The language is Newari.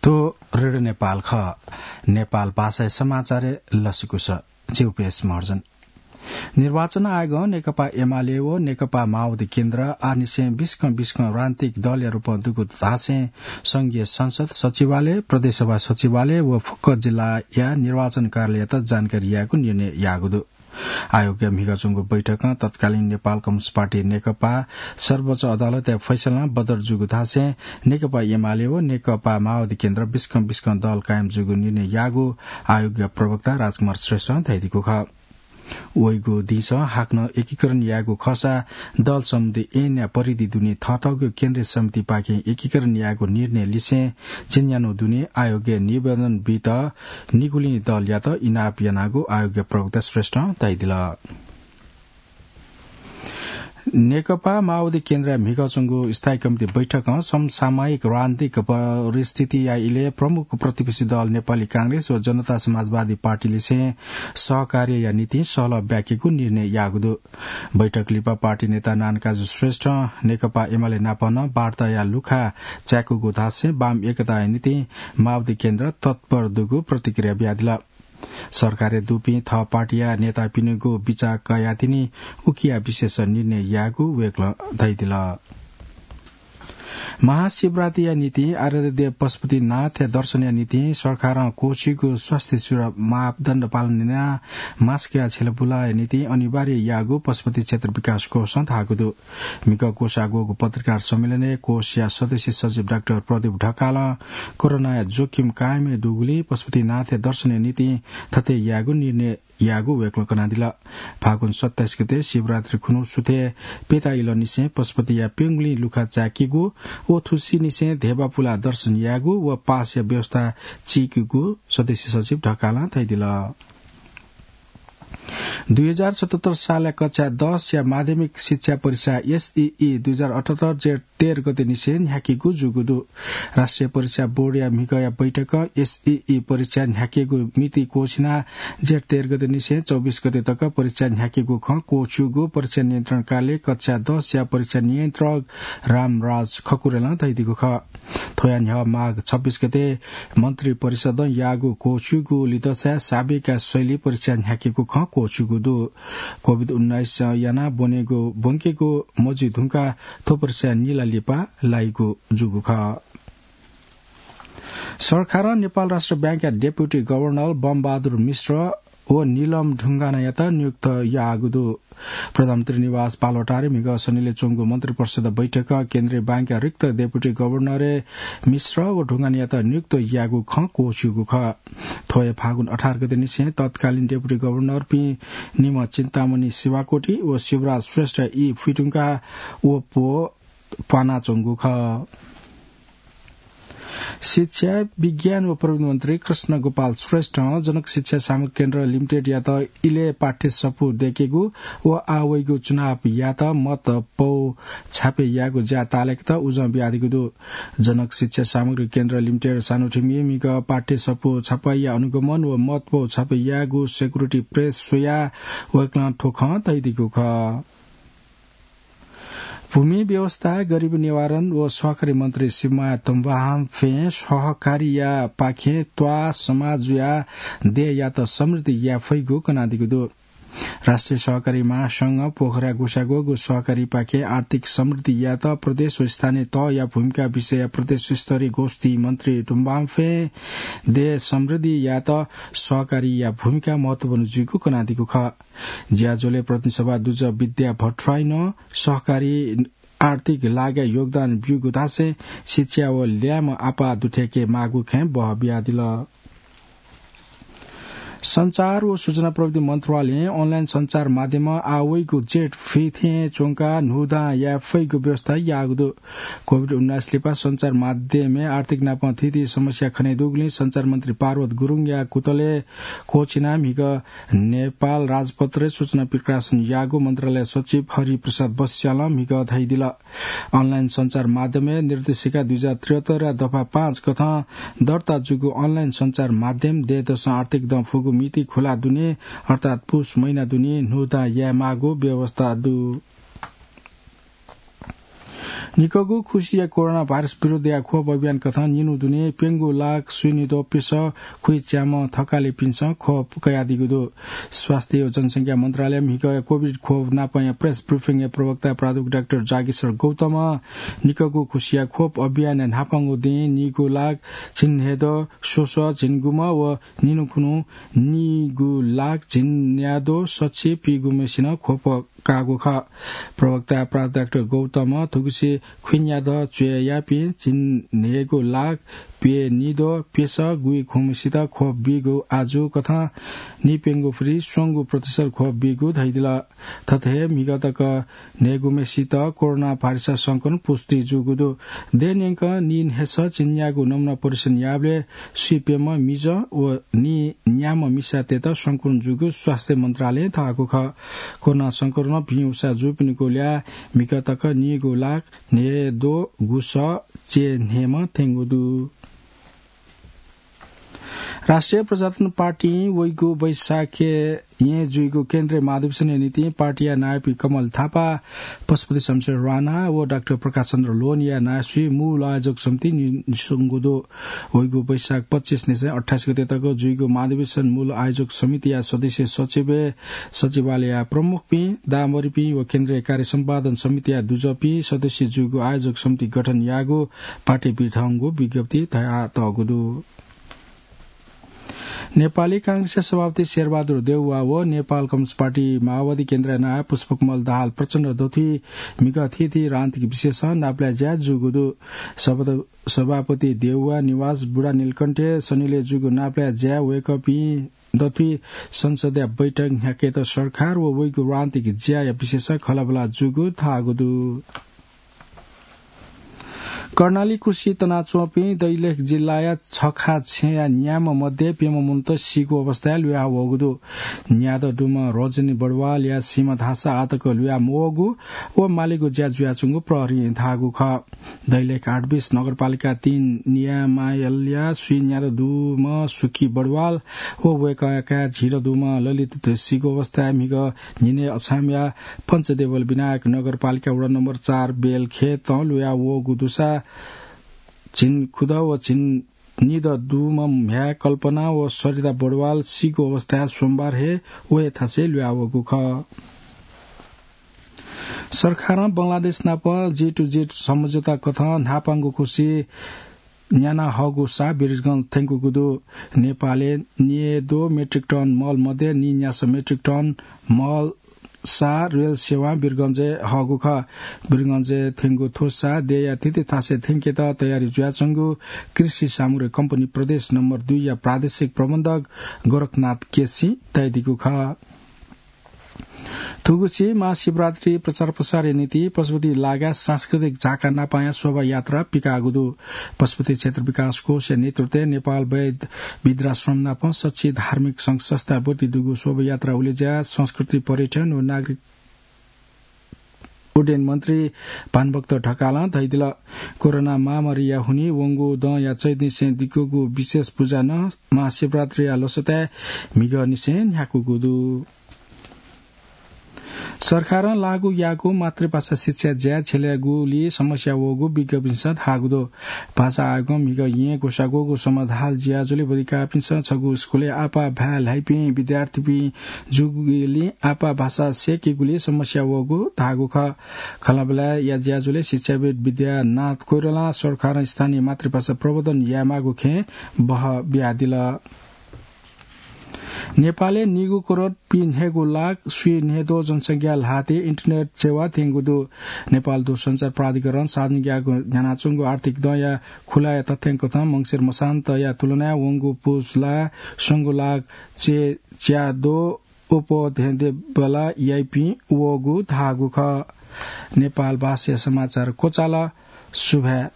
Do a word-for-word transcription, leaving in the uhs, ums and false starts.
थ्व रेडियो नेपाल खः। नेपाल भाषाया समाचारय् लसकुस। जिगु पेश महर्जन। निर्वाचन आयोगं नेकपा एमाले व नेकपा माओवादी केन्द्र आःनिसें बिस्कं बिस्कं राजनीतिक दलया रूपं दुगु धासें संघीय संसद सचिवालय, प्रदेशसभा सचिवालय व फुक्क जिल्लाया निर्वाचन कार्यालययात जानकारी यायेगु निर्णय याःगु दु। आयोगया म्हिगः च्वंगु बैठकं तत्कालीन नेपाल कम्युनिस्ट पार्टी नेकपा सर्वोच्च अदालतया फैसलां बदर जूगु धासें नेकपा एमाले व नेकपा माओवादी केन्द्र बिस्कं बिस्कं दल कायम जूगु निर्णय याःगु आयोगया प्रवक्ता राजकुमार श्रेष्ठं धयादीगु खः। वइगु दिंसं हाकनं एकीकरण यायेगु खःसा दल सम्बन्धी ऐनया परिधि दुने थःथःगु केन्द्रीय समितिपाखें एकीकरण यायेगु निर्णय लिसें झिंन्यान्हु दुने आयोगया निवेदन बीत निगुलिं दलयात इनाप यानागु आयोगया प्रवक्ता श्रेष्ठं धयादिल। नेकपा माओवादी केन्द्रया म्हिगः च्वंगु स्थायी कमिटी बैठकं समसामयिक राजनीतिक परिस्थितिया इलय् प्रमुख प्रतिपक्षी दल नेपाली कांग्रेस व जनता समाजवादी पार्टीलिसें सहकार्यया निंतिं सहलह ब्याकेगु निर्णय याःगु दु। बैठक लिपा पार्टी नेता नानकाजी श्रेष्ठं नेकपा एमाले नाप नं वार्ताया लुखा चाय्‌कूगु धासें वाम एकताया निंतिं माओवादी केन्द्र तत्पर दुगु प्रतिक्रिया बियादिल। सरकारय् दुपिं थः पार्टीया नेतापिनिगु बिचाः कयाः तिनि उकिया विशेष निर्णय यायेगु वय्‌कलं धयादिल। महाशिवरात्रिया निंतिं आराध्य देव पशुपतिनाथया दर्शनया निंतिं सरकारं क्वःछिइगु स्वास्थ्य सुरक्षा मापदण्ड पालन यानाः मास्कया झ्यलबुलाया निंतिं अनिवार्य याःगु पशुपति क्षेत्र विकास कोषं धाःगु दु। म्हिगः क्वसाः ग्वःगु पत्रकार सम्मेलनय् कोषया सदस्य सचिव डाक्टर प्रदीप ढकालं कोरोनाया जोखिम कायम दुगुलिं पशुपतिनाथया दर्शनया निंतिं थथे यायेगु निर्णय याःगु वय्‌कलं कनादिल। फागुन सत्ताइस गते शिवरात्रि खुन्हु सुथय् पेता इलंनिसें पशुपतिया प्यंगुलिं लुखा चाय्‌केगु व थुसिनिसें धेबा पुलाः दर्शन यायेगु व पासया व्यवस्था चीकेगु सदस्य सचिव ढकालं धयादिल। दुई हजार सतहत्तर सालया कक्षा दसया माध्यमिक शिक्षा परीक्षा, एसईई, दुई हजार अठहत्तर जेठ तेह्र गते निसें न्ह्याकेगु जूगु दु। राष्ट्रिय परीक्षा बोर्डया म्हिगःया बैठकं एसईई परीक्षा न्ह्याकेगु मिति क्वःछिनाः जेठ तेह्र गते निसें चौबिस गते तक परीक्षा न्ह्याकेगु खँ क्वःछिउगु परीक्षा नियन्त्रण कार्यालय कक्षा दसया परीक्षा नियन्त्रक रामराज खकुरेलं धयादीगु खः। थ्वया न्ह्यः माघ छब्बिस गते मन्त्री परिषदं याःगु क्वःछिउगु लिदँसाय् साबेका शैली परीक्षा न्ह्याकेगु खँ क्वःछिउगु दु। कोभिड उन्नाइस यानाः ब्वनेगु, ब्वंकेगु मजुइधुंकाः थ्व परीक्षा निला लिपा लाइगु जूगु खः। सरकारं नेपाल राष्ट्र बैंकया डेपुटी गभर्नर बमबहादुर मिश्र व नीलम ढुङ्गानायात नियुक्त याःगु दु। प्रधानमन्त्री निवास बालुवाटारय् म्हिगः सनिलय् च्वंगु मन्त्रिपरिषद बैठकं केन्द्रीय बैंकया रिक्त डेपुटी गभर्नरय् मिश्र व ढुङ्गानायात नियुक्त याःगु खँ क्वःछिउगु खः। थ्व हे फागुन अठार गते निसें तत्कालीन डेपुटी गभर्नरपिं निम्ह चिन्तामणि शिवाकोटी व शिवराज श्रेष्ठ ई फुइधुंकाः व पो प्वानाच्वंगु खः। शिक्षा, विज्ञान व प्रविधि मन्त्री कृष्ण गोपाल श्रेष्ठं जनक शिक्षा सामग्री केन्द्र लिमिटेडयात इलय् पाठ्य सफू दय्‌केगु व आः वइगु चुनावयात मत पौ छापे यायेगु ज्या ताःलाकेत उजं बियादीगु दु। जनक शिक्षा सामग्री केन्द्र लिमिटेड सानोथिमिं म्हिगः पाठ्य सफू छपाईया अनुगमन व मत पौ छापे यायेगु सेक्युरिटी प्रेस स्वयाः वय्‌कलं थ्व खँ धयादीगु खः। भूमि व्यवस्था, गरिबी निवारण व सहकारी मन्त्री शिवमाया तुम्बाहाम्फें सहकारीया पाखें त्वाः समाजुया देय्‌यात समृद्धि याये फइगु कनादीगु दु। राष्ट्रिय सहकारी महासंघ पोखरा ग्वसाः ग्वःगु सहकारीपाखें आर्थिक समृद्धि यायेत प्रदेश व स्थानीय तहया भूमिका विषयया प्रदेश स्तरीय गोष्ठी मन्त्री तुम्बाहाम्फें देय् समृद्धि यायेत सहकारीया भूमिका महत्वपूर्ण जुइगु कनादीगु खः। ज्याझ्वलय् प्रतिनिधि सभा दुजः विद्या भट्टराईं नं सहकारी आर्थिक लागाय् योगदान ब्यूगु धासें शिक्षा व ल्याय्म्ह आपाः दुथ्याके माःगु खँय् बह बियादिल। सञ्चार व सूचना प्रविधि मन्त्रालयं अनलाइन सञ्चार माध्यमं आः वइगु जेठ फिथें च्वंकाः न्हूदँ याये फइगु व्यवस्था याःगु दु। कोभिड उन्नाइस लिपा सञ्चार माध्यमय् आर्थिक नापं थीथी समस्या खने दुगुलिं सञ्चार मन्त्री पार्वत गुरुङया कुतलय् क्वःछिनाः म्हिगः नेपाल राजपत्रय् सूचना प्रकाशन याःगु मन्त्रालय सचिव हरिप्रसाद बस्यालं म्हिगः धयादिल। अनलाइन सञ्चार माध्यमय् निर्देशिका दुई हजार त्रिहत्तरया दफा पाँच कथं दर्ता जूगु अनलाइन सञ्चार माध्यम देय्‌दसं आर्थिक दँ फुगु मिति खुला दुने, अर्थात् पुस महिना दुने न्हूदँ याये माःगु व्यवस्था दु। निकःगु खुसिया कोरोना भाइरस विरुद्धया खोप अभियान कथं निन्हु दुने प्यंगू लाख स्वीनिद्वः प्यसः खुइच्याम्ह थकालिपिन्सं खोप कयादीगु दु। स्वास्थ्य व जनसंख्या मन्त्रालय म्हिगः कोभिड खोप नापंया प्रेस ब्रिफिङया प्रवक्ता प्राध्यापक डाक्टर जागेश्वर गौतमं निकःगु खुसिया खोप अभियानया न्हापांगु दिं नीगू लाख झिंन्हय्द्वः स्वसः झिंगुम्ह व निन्हु खुन्हु नीगू लाख झिंन्याद्वः सछि पीगुम्हेसिनं खोप काःगु खः। प्रवक्ता प्राध्यापक डाक्टर गौतमं थुगुसी खुइन्याद्वः च्वय् याःपिं झिंन्हय्गू लाख प्यनिद्वः प्यसः गुइखुम्हसित खोप बीगु आजु कथं निप्यंगू फुति स्वंगू प्रतिशत खोप बीगु धयादिल। थथे हे म्हिगः तक न्हय्गुम्हेसित कोरोना भाइरसया संक्रमण पुष्टि जूगु दु। देय् न्यंकं नीन्हय्सः झिंन्यागू नमुना परीक्षण याःबलय् स्वीप्यम्ह मिजं व नीन्याम्ह मिसातय्त संक्रमण जूगु स्वास्थ्य मन्त्रालयं धाःगु खः। कोरोना संक्रमणं भिं उसाः जूपिनिगु ल्याः म्हिगः तक नीगू लाख न्हय्द्वः गुसः च्यय्न्हय्म्ह थ्यंगु दु। राष्ट्रिय प्रजातन्त्र पार्टीं वइगु वैशाखय् येँ जुइगु केन्द्रीय महाधिवेशनया निंतिं पार्टीया नायःपिं कमल थापा, पशुपति शमशेर राणा व डाक्टर प्रकाश चन्द्र लोहनीया नायःसुइ मूल आयोजक समिति नि-, निस्वंगु दु। वइगु वैशाख पच्चिस निसें अट्ठाइस गते तक जुइगु महाधिवेशन मूल आयोजक समितिया सदस्य सचिवय् सचिवालयया प्रमुखपिं, दामरीपिं व केन्द्रीय कार्य सम्पादन समितिया दुजःपिं सदस्य जूगु आयोजक समिति गठन याःगु पार्टी बिथंगु विज्ञप्ति धयातःगु दु। नेपाली कांग्रेसया सभापति शेरबहादुर देउवा व नेपाल कम्युनिस्ट पार्टी माओवादी केन्द्रया नायः पुष्पकमल दाहाल प्रचण्ड दथुइ म्हिगः थीथी राजनीतिक विषयसं नापलाये ज्या जूगु दु। सभापति देउवा निवास बुढा नीलकण्ठय् शनिलय् जूगु नापलाये ज्याय् वय्कःपिं दथुइ संसदया बैठक न्ह्याकेत सरकार व वइगु राजनीतिक ज्याया विषयसं खँल्हाबल्हा जूगु धाःगु दु। कर्णाली कुसि तनाच्वंपिं दैलेख जिल्लाया छखा छेँया न्याम्ह मध्ये प्यम्ह मनूत सीगु अवस्थाय् ल्हुयावःगु दु। न्यादँ दुम्ह रजनी बडवालया सीम्ह धाःसा आःतक ल्हुया मवःगु व मालेगु ज्या जुयाच्वंगु प्रहरीं धाःगु खः। दैलेख आठ बिस नगरपालिका तीन नियामायलया स्वीं न्यादँ दुम्ह सुखी बडवाल व वय्कःया काय् झिदँ दुम्ह ललित सीगु अवस्थाय् म्हिगः न्हिनय् अछामया पञ्चदेवल विनायक नगरपालिका वडा नम्बर चार बेलखेतं ल्हुयावःगु दुसा झिंखुदँ व झिंनिदँ दुम्ह म्ह्याय् कल्पना व सरिता बडवाल सीगु अवस्थाय् सोमबार हे व हे थासय् ल्हुयावःगु खः। सरकारं बंगलादेश नाप G to G सम्झौता कथं न्हापांगु खुसि न्याना हःगु सा वीरगंज थ्यंकूगु दु। नेपालय् न्यय्द्वः मेट्रिक टन मल मध्ये नीन्यासः मेट्रिक टन मल सा रेल सेवां वीरगंजय् हःगु खः। वीरगंजय् थ्यंगु थ्व सा देय्या थीथी थासय् थ्यंकेत तयारी जुयाच्वंगु कृषि सामग्री कम्पनी प्रदेश नम्बर दुईया प्रादेशिक प्रबन्धक गोरखनाथ केसीं धयादीगु खः। थुगुसी महाशिवरात्रि प्रचार प्रसारया निंतिं पशुपति लागाय् सांस्कृतिक झाका नापांया शोभायात्रा पिकाःगु दु। पशुपति क्षेत्र विकास कोषया नेतृत्वय् नेपाल वैद्य वृद्धाश्रम नाप सछि धार्मिक संघ संस्था ब्वति दुगु शोभायात्रा उलेज्या संस्कृति पर्यटन व नागरिक उड्डयन मन्त्री भानुभक्त ढकालं धयादिल। कोरोना महामारीया हुनिं वंगु दँया चैतनिसें दिकूगु विशेष पुजा नं महाशिवरात्रिया लसताय् म्हिगःनिसें न्ह्याकूगु दु। सरकारं लागू याःगु मातृभाषा शिक्षा ज्याय् झ्यलय् गुलि समस्या वःगु विज्ञपिन्सं धाःगु दु। भाषा आयोगं म्हिगः येँ ग्वसाः ग्वःगु समाधाल ज्याझ्वलय् वधिकाःपिन्सं छगू स्कुलय् आपाः भाय् ल्हाइपिं विद्यार्थीपिं जूगुलिं आपाः भाषा सय्केगुलि समस्या वःगु धाःगु खः। खँल्हाबल्हाया ज्याझ्वलय् शिक्षाविद् विद्यानाथ कोइरालां सरकारं स्थानीय मातृभाषा प्रवर्धन यायेमाःगु खँय् बहः बियादिल। नेपालय् निगू करोड पीन्हय्गू लाख स्वीन्हय्द्वः जनसंख्या ल्हातय् इन्टरनेट सेवा थ्यंगु दु। नेपाल दूरसञ्चार प्राधिकरणं सार्वजनिक याःगु न्ह्यानाच्वंगु आर्थिक दँया खुलाया तथ्याङ्कथं मंसिर मसान्तया तुलनाय् वंगु पुस ला स्वंगू लाख च्यय् च्याद्वः अप्वः धेंधेंबल्ला याइपिं वःगु धाःगु खः। नेपाल भाषाया समाचार क्वचाल। सुभाय्।